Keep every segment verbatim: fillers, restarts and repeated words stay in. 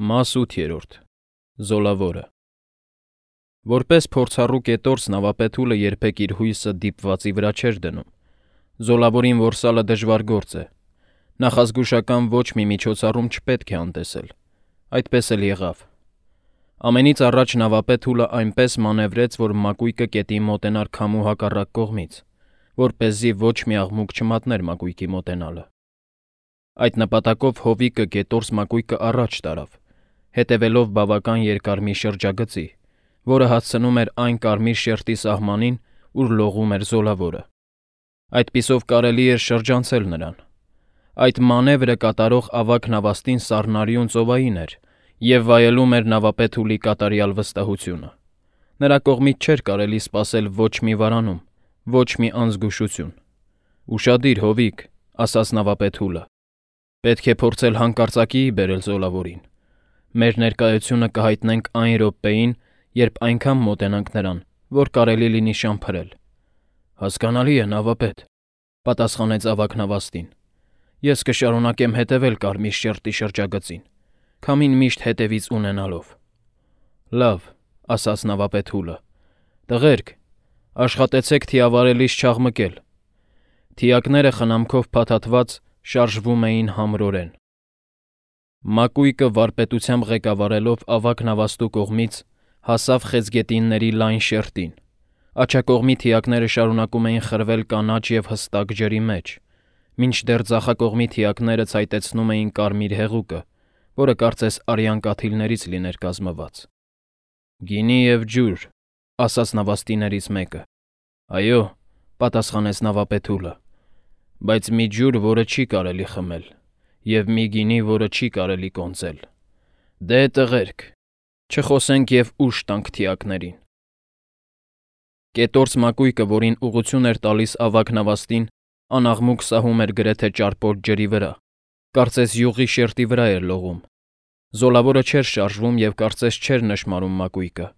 Մաս ութ. Զոլավորը Որպես փորձառու կետորս նավապետուլը երբեք իր հույսը դիպվածի վրա չէր դնում։ Զոլավորին որսալը դժվար գործ է։ Նախազգուշական ոչ մի միջոցառում չպետք է անտեսել։ Այդպես էլ եղավ։ Ամենից առաջ նավապետուլը այնպես մանևրեց, որ մակույկը կետին մոտենար քամու հակառակ կողմից, որպեսզի ոչ մի աղմուկ չմատներ մակույկի մոտենալը։ Այդ նպատակով հովիկը կետորս մակույկը առաջ տարավ, հետևելով բավական երկար մի շրջագծի, որը հասցնում էր այն կարմիր շերտի սահմանին, ուր լողում էր զոլավորը։ Այդպիսով կարելի էր շրջանցել նրան։ Այդ մանևրը կատարող ավագ նավաստին սառնարյուն ծովային էր և վայելում էր նավապետուլի կատարյալ վստահությունը։ Նրա կողմից չէր կարելի սպասել ոչ մի վարանում, ոչ մի անզգուշություն։ «Ուշադիր, հովիկ», ասաց նավապետուլը։ «Պետք է փորձել հանկարծակիի բերել զոլավորին։ Մեր ներկայությունը կհայտնենք այն րոպեին, երբ այնքան մոտենանք նրան, որ կարելի լինի շամփրել»։ «Հասկանալի է, նավապետ», պատասխանեց ավագ նավաստին։ «Ես կշարունակեմ հետևել կարմիր շերտի շրջագծին, քամին միշտ հետևից ունենալով»։ «Լավ», ասաց նավապետուլը։ «Տղերք, աշխատեցեք թիավարելիս չաղմկել»։ Թիակները խնամքով փաթաթված շարժվում էին համրորեն։ Մակույկը վարպետությամբ ղեկավարելով ավագ նավաստու կողմից հասավ խեցգետինների լայն շերտին։ Աջակողմի թիակները շարունակում էին խրվել կանաչ և հստակ ջրի մեջ, մինչդեռ ձախակողմի թիակները ցայտեցնում էին կարմիր հեղուկը, որը կարծես արյան կաթիլներից լիներ կազմված։ «Գինի և ջուր», ասաց նավաստիներից մեկը։ «Այո», պատասխանեց նավապետուլը, «բայց մի ջուր, որը չի կարելի խմել, և մի գինի, որը չի կարելի կոնծել։ Դե, տղերք, չխոսենք և ուժ տանք թիակներին»։ Կետորս մակույկը, որին ուղղություն էր տալիս ավագ նավաստին, անաղմուկ սահում էր գրեթե ճարպոտ ջրի վրա, կարծես յուղի շերտի վրա էր լողում։ Զոլավորը չէր շարժվում և կարծես չէր նշմարում մակույկը,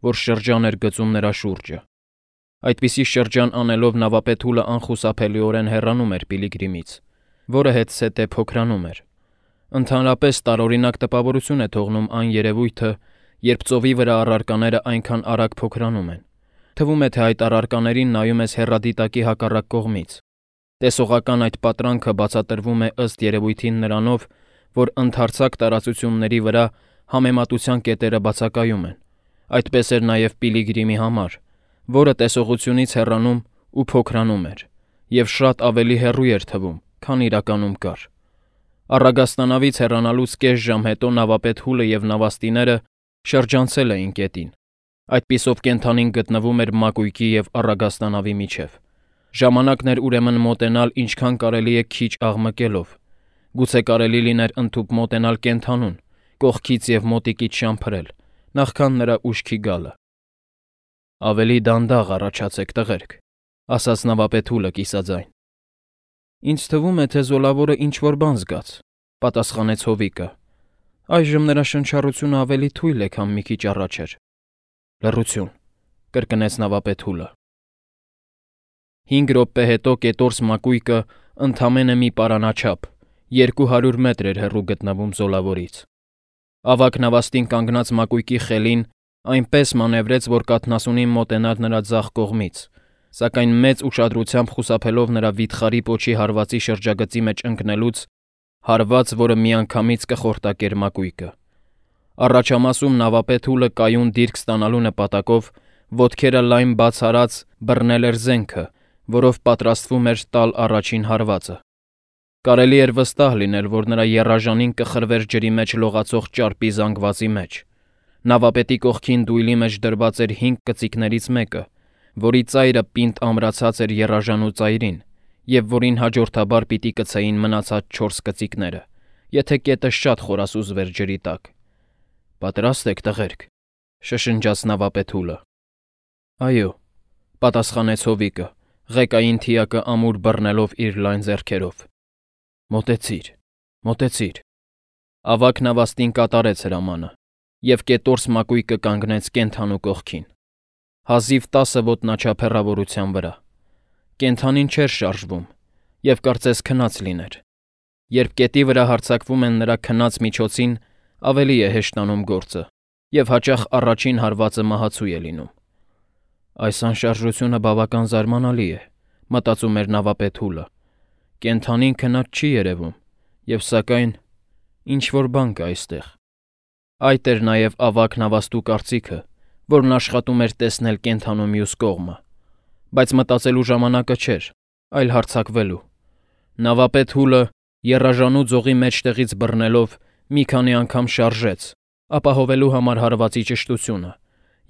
որ շրջան էր գծում նրա շուրջը։ Այդպիսի շրջան անելով նավապետուլը անխուսափելիորեն հեռանում էր Պիլիգրիմից, որը հետզհետե փոքրանում էր։ Ընդհանրապես տարօրինակ տպավորություն է թողնում այն երևույթը, երբ ծովի վրա առարկաները այնքան արագ փոքրանում են։ Թվում է, թե այդ առարկաներին նայում ես հեռադիտակի հակառակ կողմից։ Տեսողական այդ պատրանքը բացատրվում է ըստ երևույթին նրանով, որ ընդարձակ տարածությունների վրա համեմատության կետերը բացակայում են։ Այդպես էր նաև Պիլիգրիմի համար, որը տեսողությունից հեռանում ու փոքրանում էր, և շատ ավելի հեռու էր թվում, քան իրականում կար։ Առագաստանավից հեռանալուց կես ժամ հետո նավապետուլը և նավաստիները շրջանցել էին կետին։ Այդպիսով կենդանին գտնվում էր մակույկի և առագաստանավի միջև։ Ժամանակն էր ուրեմն մոտենալ ինչքան կարելի է քիչ աղմկելով։ Գուցե կարելի լիներ ընդհուպ մոտենալ կենդանուն, կողքից և մոտիկից շամփրել, նախքան նրա ուշքի գալը։ «Ավելի դանդաղ առաջացեք, տղերք», ասաց նավապետուլը կիսաձայն։ «Ինձ թվում է, թե զոլավորը ինչ-որ բան զգաց», պատասխանեց հովիկը։ «Այժմ նրա շնչառությունը ավելի թույլ է, քան մի քիչ առաջ էր»։ «Լռություն», կրկնեց նավապետուլը։ Հինգ րոպե հետո կետորս մակույկը ընդամենը մի պարանաչափ, երկու հարյուր մետր էր հեռու գտնվում զոլավորից։ Ավագ նավաստին կանգնած մակույկի խելին այնպես մանևրեց, որ կաթնասունին մոտենար նրա ձախ կողմից, սակայն մեծ ուշադրությամբ խուսափելով նրա վիթխարի պոչի հարվածի շրջագծի մեջ ընկնելուց, հարված, որը միանգամից կխորտակեր մակույկը։ Առաջամասում նավապետուլը կայուն դիրք ստանալու նպատակով ոտքերը լայն բաց արած բռնել էր զենքը, որով պատրաստվում էր տալ առաջին հարվածը։ Կարելի էր վստահ լինել, որ նրա եռաժանին կխրվեր ջրի մեջ լողացող ճարպի զանգվածի մեջ։ Նավապետի կողքին դույլի մեջ դրված էր հինգ կծիկներից մեկը, որի ծայրը պինդ ամրացած էր եռաժանու ծայրին, և որին հաջորդաբար պիտի կցեին մնացած չորս կծիկները, եթե կետը շատ խորասուզվեր ջրի տակ։ «Պատրաստ եք, տղերք», շշնջաց նավապետուլը։ «Այո», պատասխանեց հովիկը, ղեկային թիակը ամուր բռնելով իր լայն ձեռքերով։ «Մոտեցիր, մոտեցիր»։ Ավագ նավաստին կատարեց հրամանը, և կետորս մակույկը կանգնեց կենդանու կողքին, հազիվ տասը ոտնաչափ հեռավորության վրա։ Կենդանին չէր շարժվում և կարծես քնած լիներ։ Երբ կետի վրա հարձակվում են նրա քնած միջոցին, ավելի է հեշտանում գործը, եւ հաճախ առաջին հարվածը մահացու է լինում։ Այս անշարժությունը բավական զարմանալի է, մտածում էր նավապետ Հուլը։ Կենդանին քնած չի երևում, եւ սակայն ինչ-որ բան կա այստեղ։ Այդ էր նաեւ ավագ նավաստու կարծիքը, որն աշխատում էր տեսնել կենդանու մյուս կողմը, բայց մտածելու ժամանակը չէր, այլ հարձակվելու։ Նավապետ Հուլը եռաժանու ձողի մեջտեղից բռնելով մի քանի անգամ շարժեց, ապահովելու համար հարվածի ճշտությունը,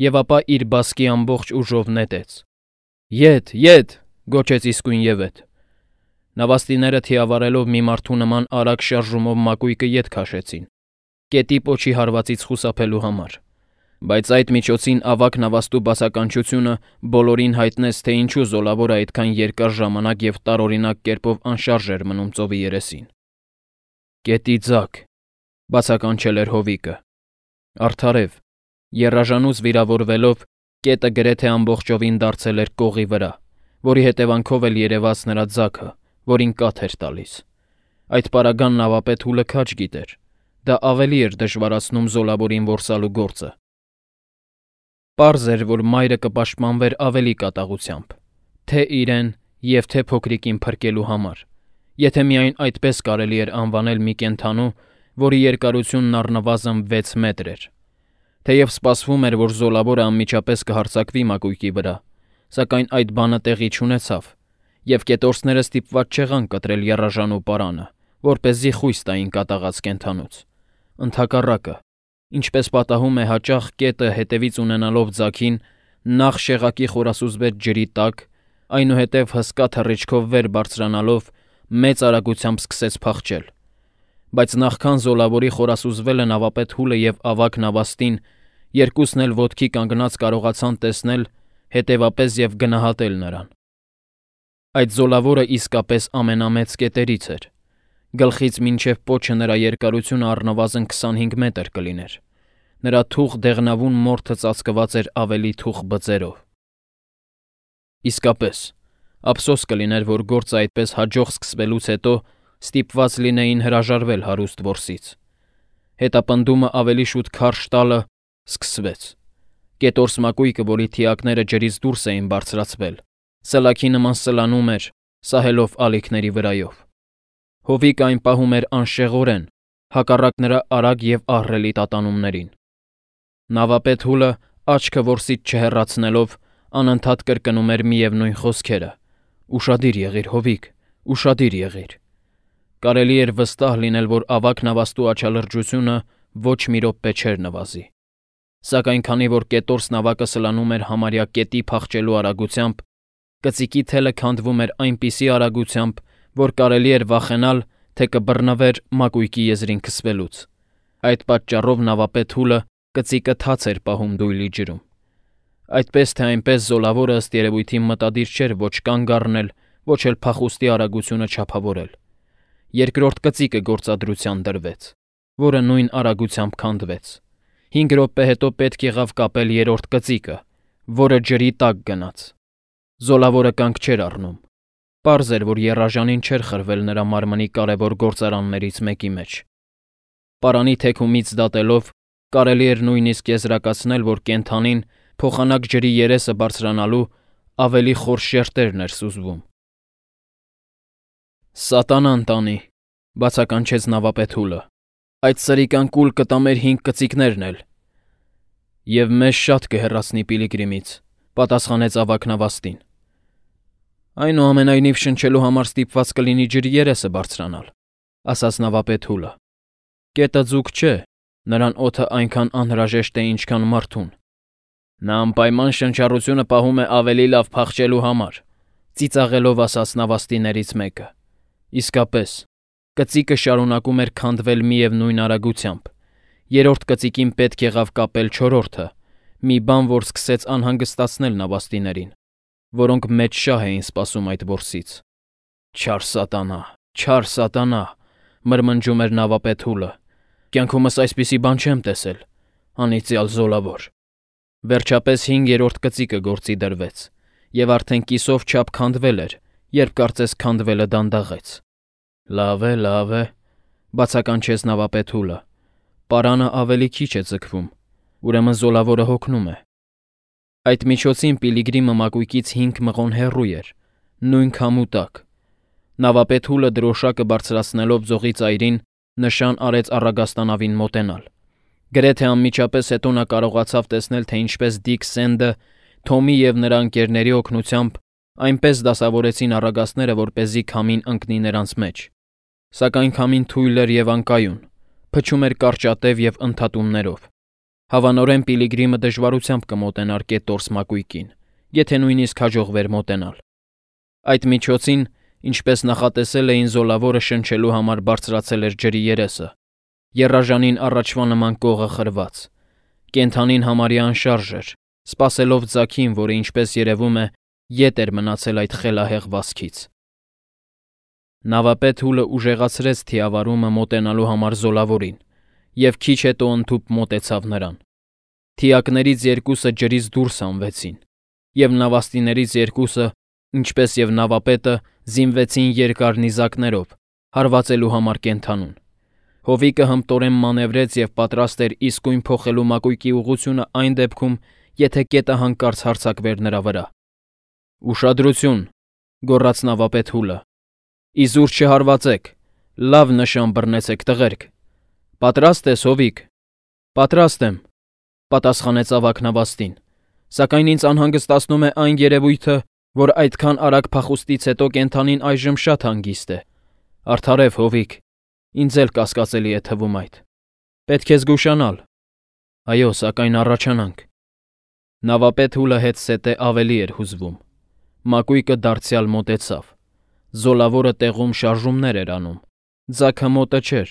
եւ ապա իր բասկի ամբողջ ուժով նետեց։ «Ետ, ետ!» գոչեց իսկույնևեթ։ Նավաստիները թիավարելով մի մարդու նման արագ շարժումով մակույկը ետ քաշեցին, կետի պոչի հարվածից խուսափելու համար, բայց այդ միջոցին ավագ նավաստու բացականչությունը բոլորին հայտնեց, թե ինչու Զոլավորը այդքան երկար ժամանակ եւ տարօրինակ կերպով անշարժ էր մնում ծովի երեսին։ «Կետի ձակ», բացականչել էր Հովիկը։ Արդարև, եռաժանուց վիրավորվելով, կետը գրեթե ամբողջովին դարձել էր կողի վրա, որի հետևանքով էլ երևաց նրա ձագը, որին կաթ էր տալիս։ Այդ պարագան նավապետ Հուլը քաջ գիտեր, դա ավելի էր դժվարացնում Զոլավորին որսալու գործը։ Պարզ էր, որ մայրը կպաշտպանվեր ավելի կատաղությամբ, թե իրեն եւ թե փոքրիկին փրկելու համար, եթե միայն այդպես կարելի էր անվանել մի կենդանու, որի երկարությունն առնվազն վեց մետր էր։ Թեև սպասվում էր, որ Զոլավորը անմիջապես կհարձակվի մակույկի վրա, սակայն այդ բանը տեղի չունեցավ, եւ կետորսները ստիպված չեղան կտրել եռաժանու պարանը, որպեսզի խույս տային կատաղած կենդանուց։ Ընդհակառակը, ինչպես պատահում է հաճախ, կետը հետևից ունենալով ձագին, նախ շեղակի խորասուզվեց ջրի տակ, այնուհետև հսկա թռիչքով վեր բարձրանալով մեծ արագությամբ սկսեց փախչել։ Բայց նախքան Զոլավորի խորասուզվելը նավապետ Հուլը եւ ավագ նավաստին երկուսն էլ ոտքի կանգնած կարողացան տեսնել, հետևապես եւ գնահատել նրան։ Այդ Զոլավորը իսկապես ամենամեծ կետերից էր։ Գլխից մինչև պոչը նրա երկարությունը առնվազն քսանհինգ մետր կլիներ։ Նրա թուխ դեղնավուն մորթը ծածկված էր ավելի թուխ բծերով։ Իսկապես, ափսոս կլիներ, որ գործը այդպես հաջող սկսվելուց հետո ստիպված լինեին հրաժարվել հարուստ որսից։ Հետապնդումը ավելի շուտ քարշ տալը սկսվեց։ Կետորս մակույկը, որի թիակները ջրից դուրս էին բարձրացվել, սլաքի նման սլանում էր, սահելով ալիքների վրայով։ Հովիկը այն պահում էր անշեղորեն, հակառակ նրա արագ եւ ահռելի տատանումներին։ Նավապետ Հուլը, աչքը որսից չհեռացնելով, անընդհատ կրկնում էր միևնույն խոսքերը. «Ուշադիր եղիր, Հովիկ, ուշադիր եղիր»։ Կարելի էր վստահ լինել, որ ավագ նավաստու աչալրջությունը ոչ մի րոպե չէր նվազի։ Սակայն քանի որ կետորս նավակը սլանում էր համարյա կետի փախչելու արագությամբ, կծիկի թելը քանդվում էր այնպիսի արագությամբ, որ կարելի էր վախենալ, թե կբռնվեր մակույկի եզրին քսվելուց։ Այդ պատճառով նավապետ Հուլը կծիկը թաց էր պահում դույլի ջրում։ Այդպես թե այնպես Զոլավորը ըստ երևույթին մտադիր չէր ոչ կանգ առնել, ոչ էլ փախուստի արագությունը չափավորել։ Երկրորդ կծիկը գործադրության դրվեց, որը նույն արագությամբ քանդվեց։ Հինգ րոպե հետո պետք եղավ կապել երրորդ կծիկը, որը ջրի տակ գնաց։ Զոլավորը կանգ չէր առնում։ Պարզ էր, որ եռաժանին չէր խրվել նրա մարմնի կարևոր գործարաններից մեկի մեջ։ Պարանի թեքումից դատելով կարելի էր նույնիսկ եզրակացնել, որ կենդանին փոխանակ ջրի երեսը բարձրանալու ավելի խոր շերտերն էր սուզվում։ «Սատանան տանի», բացականչեց նավապետ Հուլը։ «Այդ սրիկան կուլ կտա մեր հինգ կծիկներն էլ»։ «Եվ մեզ շատ կհեռացնի Պիլիգրիմից», պատասխանեց ավագ նավաստին։ «Այնուամենայնիվ շնչելու համար ստիպված կլինի ջրի երեսը բարձրանալ», ասաց նավապետ Հուլը։ «Կետը ձուկ չէ, նրան օդը այնքան անհրաժեշտ է, ինչքան մարդուն։ Նա անպայման շնչառությունը պահում է ավելի լավ փախչելու համար», ծիծաղելով ասաց նավաստիներից մեկը։ Իսկապես, կծիկը շարունակում էր քանդվել միևնույն արագությամբ։ Երրորդ կծիկին պետք եղավ կապել չորրորդը, մի բան, որ սկսեց անհանգստացնել նավաստիներին, որոնք մեծ շահ էին սպասում այդ որսից։ «Չար սատանա, չար սատանա», մրմնջում էր նավապետ Հուլը։ «Կյանքումս այսպիսի բան չեմ տեսել, անիծյալ Զոլավոր»։ Վերջապես հինգերորդ կծիկը գործի դրվեց, եւ արդեն կիսով չափ քանդվել էր, երբ կարծես քանդվելը դանդաղեց։ «Լավ է, լավ է», բացականչեց նավապետ Հուլը։ պարանը ավելի քիչ է ձգվում, ուրեմն զոլավորը հոգնում է։ Այդ միջոցին Պիլիգրիմը մակույկից հինգ մղոն հեռու էր, նույն քամու տակ։ Նավապետ Հուլը դրոշակը բարձրացնելով ձողի ծայրին նշան արեց առագաստանավին մոտենալ։ Գրեթե անմիջապես հետո նա կարողացավ տեսնել, թե ինչպես Դիկ Սենդը, Թոմի և նրա ընկերների օգնությամբ այնպես դասավորեցին առագաստները, որպեսզի քամին ընկնի նրանց մեջ։ Սակայն քամին թույլ էր և անկայուն, փչում էր կարճատև և ընդհատումներով։ Հավանորեն Պիլիգրիմը դժվարությամբ կմոտենար կետորս մակույկին, եթե նույնիսկ հաջողվեր մոտենալ։ Այդ միջոցին, ինչպես նախատեսել էին, զոլավորը շնչելու համար բարձրացել էր ջրի երեսը, եռաժանին առաջվա նման կողը խրված։ Կենդանին համարյա անշարժ էր, սպասելով ձագին, որը, ինչպես երևում է, ետ էր մնացել այդ խելահեղ վազքից։ Նավապետ Հուլը ուժեղացրեց թիավարումը մոտենալու համար զոլավորին և քիչ հետո ընդհուպ մոտեցավ նրան։ Թիակներից երկուսը ջրից դուրս հանվեցին, և նավաստիներից երկուսը, ինչպես և նավապետը, զինվեցին երկար նիզակներով, հարվածելու համար կենդանուն։ Հովիկը հմտորեն մանևրեց և պատրաստ էր իսկույն փոխելու մակույկի ուղղությունը այն դեպքում, եթե կետը հանկարծ հարձակվեր նրա վրա։ «Ուշադրություն», գոռաց նավապետ Հուլը։ «Իզուր չհարվածեք, լավ նշան բռնեցեք, տղերք»։ «Պատրաստ ես, Հովիկ»։ «Պատրաստ եմ», պատասխանեց ավագ նավաստին, «սակայն ինձ անհանգստացնում է այն երևույթը, որ այդքան արագ փախուստից հետո կենդանին այժմ շատ հանգիստ է։ Արդարև, Հովիկ, ինձ էլ կասկածելի է թվում այդ։ Պետք է զգուշանալ։ Այո, սակայն առաջանանք»։ Նավապետ Հուլը հետզհետե ավելի էր հուզվում։ Մակույկը դարձյալ մոտեցավ։ Զոլավորը տեղում շարժումներ էր անում։ Ձագը մոտը չէր,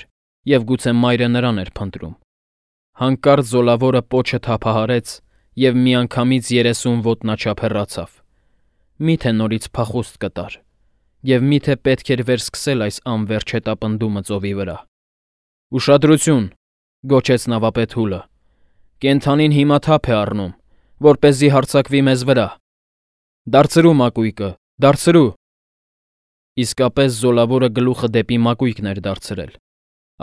և գուցե մայրը նրան էր փնտրում։ Հանկարծ զոլավորը պոչը թափահարեց և միանգամից երեսուն ոտնաչափ հեռացավ։ Մի՞թե նորից փախուստ կտար, և մի՞թե պետք էր վերսկսել այս անվերջ հետապնդումը ծովի վրա։ «Ուշադրություն», գոչեց նավապետ Հուլը։ «Կենդանին հիմա թափ է առնում, որպեսզի հարձակվի մեզ վրա։ Դարձրու մակույկը, դարձրու»։ Իսկապես զոլավորը գլուխը դեպի մակույկն էր դարձրել,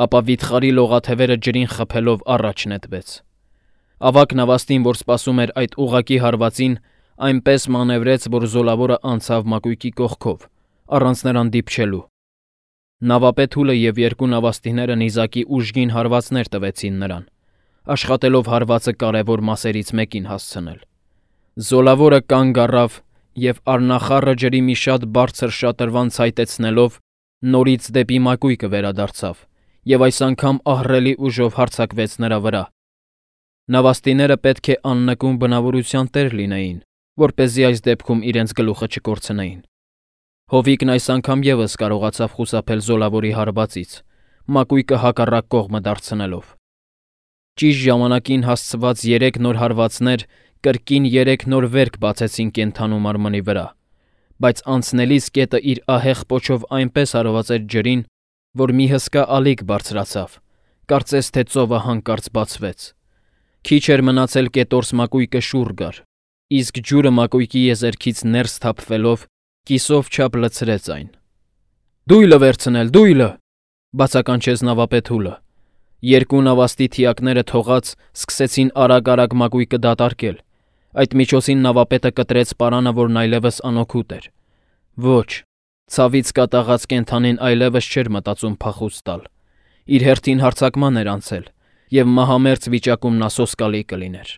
ապա վիթխարի լողաթևերը ջրին խփելով առաջ նետվեց։ Ավագ նավաստին, որ սպասում էր այդ ուղղակի հարվածին, այնպես մանևրեց, որ զոլավորը անցավ մակույկի կողքով, առանց նրան դիպչելու։ Նավապետ Հուլը և երկու նավաստիները նիզակի ուժգին հարվածներ տվեցին նրան, աշխատելով հարվածը կարևոր մասերից մեկին հասցնել։ Զոլավորը կանգ առավ և առնախառը ջրի մի շատ բարձր շատրվան ցայտեցնելով նորից դեպի մակույկը վերադարձավ և այս անգամ ահռելի ուժով հարձակվեց նրա վրա։ Նավաստիները պետք է աննկուն բնավորության տեր լինեին, որպեսզի այս դեպքում իրենց գլուխը չկորցնեին։ Հովիկն այս անգամ ևս կարողացավ խուսափել զոլավորի հարվածից, մակույկը հակառակ կողմը դարձնելով։ Ճիշտ ժամանակին հասցված երեք նոր հարվածներ կրկին երեք նոր վերք բացեցին կենդանու մարմնի վրա, բայց անցնելիս կետը իր ահեղ պոչով այնպես հարվածեց ջրին, որ մի հսկա ալիք բարձրացավ, կարծես թե ծովը հանկարծ բացվեց։ Քիչ էր մնացել կետորս մակույկը շուռ գար, իսկ ջուրը մակույկի եզերքից ներս թափվելով կիսով չափ լցրեց այն։ «Դույլը վերցնել, դույլը», բացականչեց նավապետ Հուլը։ Երկու նավաստի թիակները թողած սկսեցին արագ-արագ մակույկը դատարկել։ Այդ միջոցին նավապետը կտրեց պարանը, որն այլևս անօգուտ էր։ Ոչ, ցավից կատաղած կենդանին այլևս չէր մտածում փախուստ տալ։ Իր հերթին հարձակման էր անցել, և մահամերձ վիճակում նա սոսկալի կլիներ։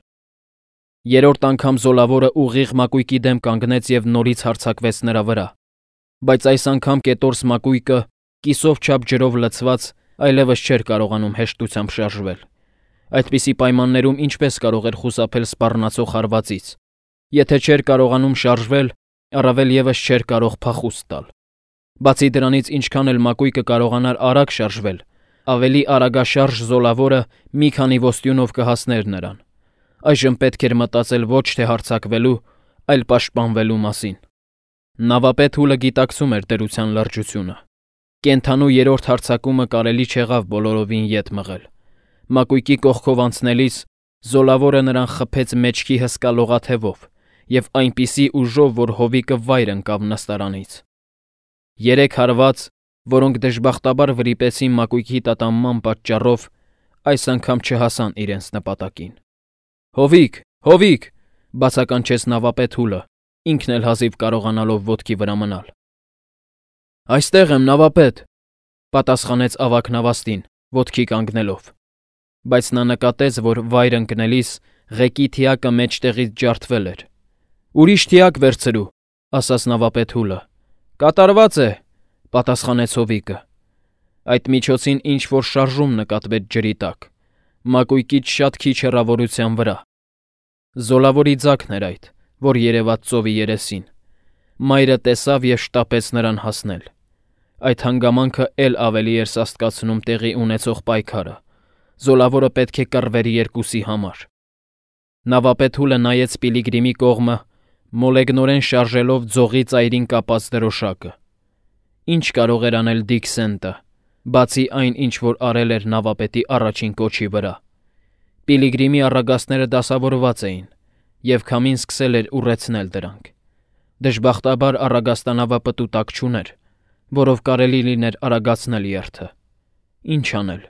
Երրորդ անգամ զոլավորը ուղիղ մակույկի դեմ կանգնեց և նորից հարձակվեց նրա վրա։ Բայց այս անգամ կետորս մակույկը, կիսով չափ ջրով լցված, այլևս չէր կարողանում հեշտությամբ շարժվել։ Այդպիսի պայմաններում ինչպես կարող էր խուսափել սպառնացող հարվածից։ Եթե չէր կարողանում շարժվել, առավել ևս չէր կարող փախուստ տալ։ Բացի դրանից, ինչքան էլ մակույկը կարողանար արագ շարժվել, ավելի արագաշարժ զոլավորը մի քանի ոստյունով կհասներ նրան։ Այժմ պետք էր մտածել ոչ թե հարձակվելու, այլ պաշտպանվելու մասին։ Նավապետ Հուլը գիտակցում էր դրության լրջությունը։ Կենդանու երրորդ հարձակումը կարելի չեղավ բոլորովին ետ մղել։ Մակույկի կողքով անցնելիս զոլավորը նրան խփեց մեջքի հսկա լողաթևով և այնպիսի ուժով, որ հովիկը վայր ընկավ նստարանից։ Երեք հարված, որոնք դժբախտաբար վրիպեցին մակույկի տատանման պատճառով, այս անգամ չհասան իրենց նպատակին։ Հովիկ, հովիկ, բացականչեց նավապետ Հուլը, ինքն էլ հազիվ կարողանալով ոտքի վրա մնալ։ Այստեղ եմ, նավապետ, պատասխանեց ավագ նավաստին, ոտքի կանգնելով, բայց նա նկատեց, որ վայր ընկնելիս ղեկի թիակը մեջտեղից ջարդվել էր։ Ուրիշ թիակ վերցրու, ասաց նավապետ Հուլը։ Կատարված է, պատասխանեց Հովիկը։ Այդ միջոցին ինչ-որ շարժում նկատվեց ջրի տակ, մակույկից շատ քիչ հեռավորության վրա։ Զոլավորի ձագն էր այդ, որ երևաց ծովի երեսին։ Մայրը տեսավ և շտապեց նրան հասնել։ Այդ հանգամանքը էլ ավելի էր սաստկացնում տեղի ունեցող պայքարը։ Զոլավորը պետք է կռվեր երկուսի համար։ Նավապետ Հուլը նայեց Պիլիգրիմի կողմը, մոլեգնորեն շարժելով ձողի ծայրին կապած դրոշակը։ Ինչ կարող էր անել Դիկ Սենտը, բացի այն, ինչ որ արել էր նավապետի առաջին կոչի վրա։ Պիլիգրիմի առագաստները դասավորված էին, և քամին սկսել էր ուռեցնել դրանք։ Դժբախտաբար առագաստանավը պտուտակ չուներ, որով կարելի լիներ արագացնել երթը։ Ինչ անել։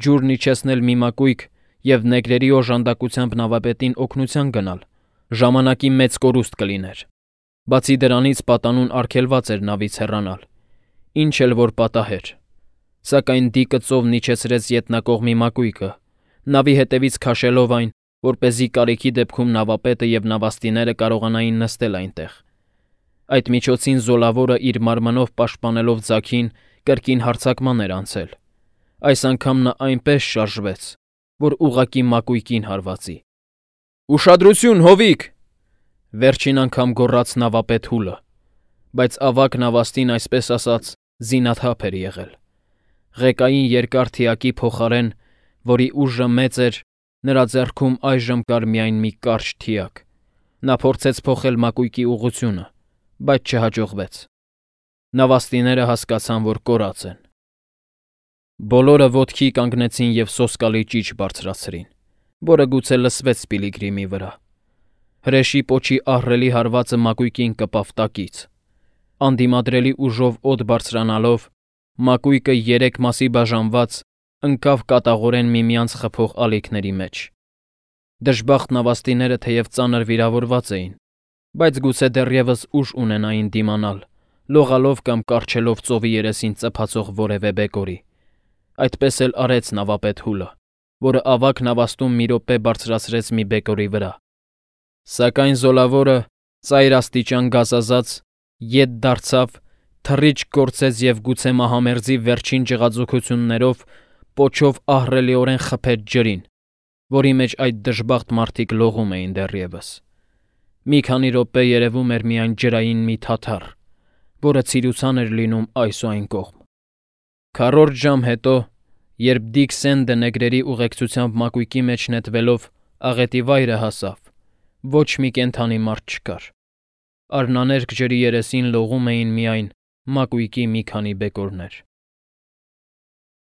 Ջուրն իջեցնել մի մակույկ և նեգրերի օժանդակությամբ նավապետին օգնության գնալ, ժամանակի մեծ կորուստ կլիներ։ Բացի դրանից պատանուն արգելված էր նավից հեռանալ, ինչ էլ որ պատահեր։ Սակայն Դիկը ծովն իջեցրեց ետնակողմի մակույկը, նավի հետևից քաշելով այն, որպեսզի կարիքի դեպքում նավապետը և նավաստիները կարողանային նստել այնտեղ։ Այդ միջոցին Զոլավորը իր մարմնով պաշտպանելով ձագին կրկին հարձակման էր անցել։ Այս անգամ նա այնպես շարժվեց, որ ուղղակի մակույկին հարվածի։ Ուշադրություն, հովիկ, վերջին անգամ գոռաց նավապետ Հուլը, բայց ավագ նավաստին այսպես ասած զինաթափ էր եղել։ Ղեկային երկար թիակի փոխարեն, որի ուժը մեծ էր, նրա ձեռքում այժմ կար միայն մի կարճ թիակ։ Նա փորձեց փոխել մակույկի ուղղությունը, բայց չհաջողվեց։ Նավաստիները հասկացան, որ կորած են։ Բոլորը ոտքի կանգնեցին և սոսկալի ճիչ բարձրացրին, որը գուցե լսվեց Պիլիգրիմի վրա։ Հրեշի պոչի ահռելի հարվածը մակույկին կպավ տակից։ Անդիմադրելի ուժով օդ բարձրանալով, մակույկը երեք մասի բաժանված, ընկավ կատաղորեն միմյանց խփող ալիքների մեջ։ Դժբախտ նավաստիները թեև ծանր վիրավորված էին, բայց գուցե դեռևս ուժ ունենային դիմանալ, լողալով կամ կառչելով ծովի երեսին ծփացող որևէ բեկորի։ Այդպես էլ արեց նավապետ Հուլը, որը ավագ նավաստում մի րոպե բարձրացրեց մի բեկորի վրա։ Սակայն Զոլավորը, ծայրաստիճան գազազած, ետ դարձավ, թռիչք գործեց և գուցե մահամերձի վերջին ջղաձգություններով պոչով ահռելիորեն խփեց ջրին, որի մեջ այդ դժբախտ մարդիկ լողում էին դեռևս։ Մի քանի րոպե երևում էր միայն ջրային մի թաթար, որը ցիրուցան էր լինում այս ու այն կողմ։ Քառորդ ժամ հետո, երբ Դիկ Սենդը նեգրերի ուղեկցությամբ մակույկի մեջ նետվելով աղետի վայրը հասավ, ոչ մի կենդանի մարդ չկար։ Արհնաներկ ջրի երեսին լողում էին միայն մակույկի մի քանի բեկորներ։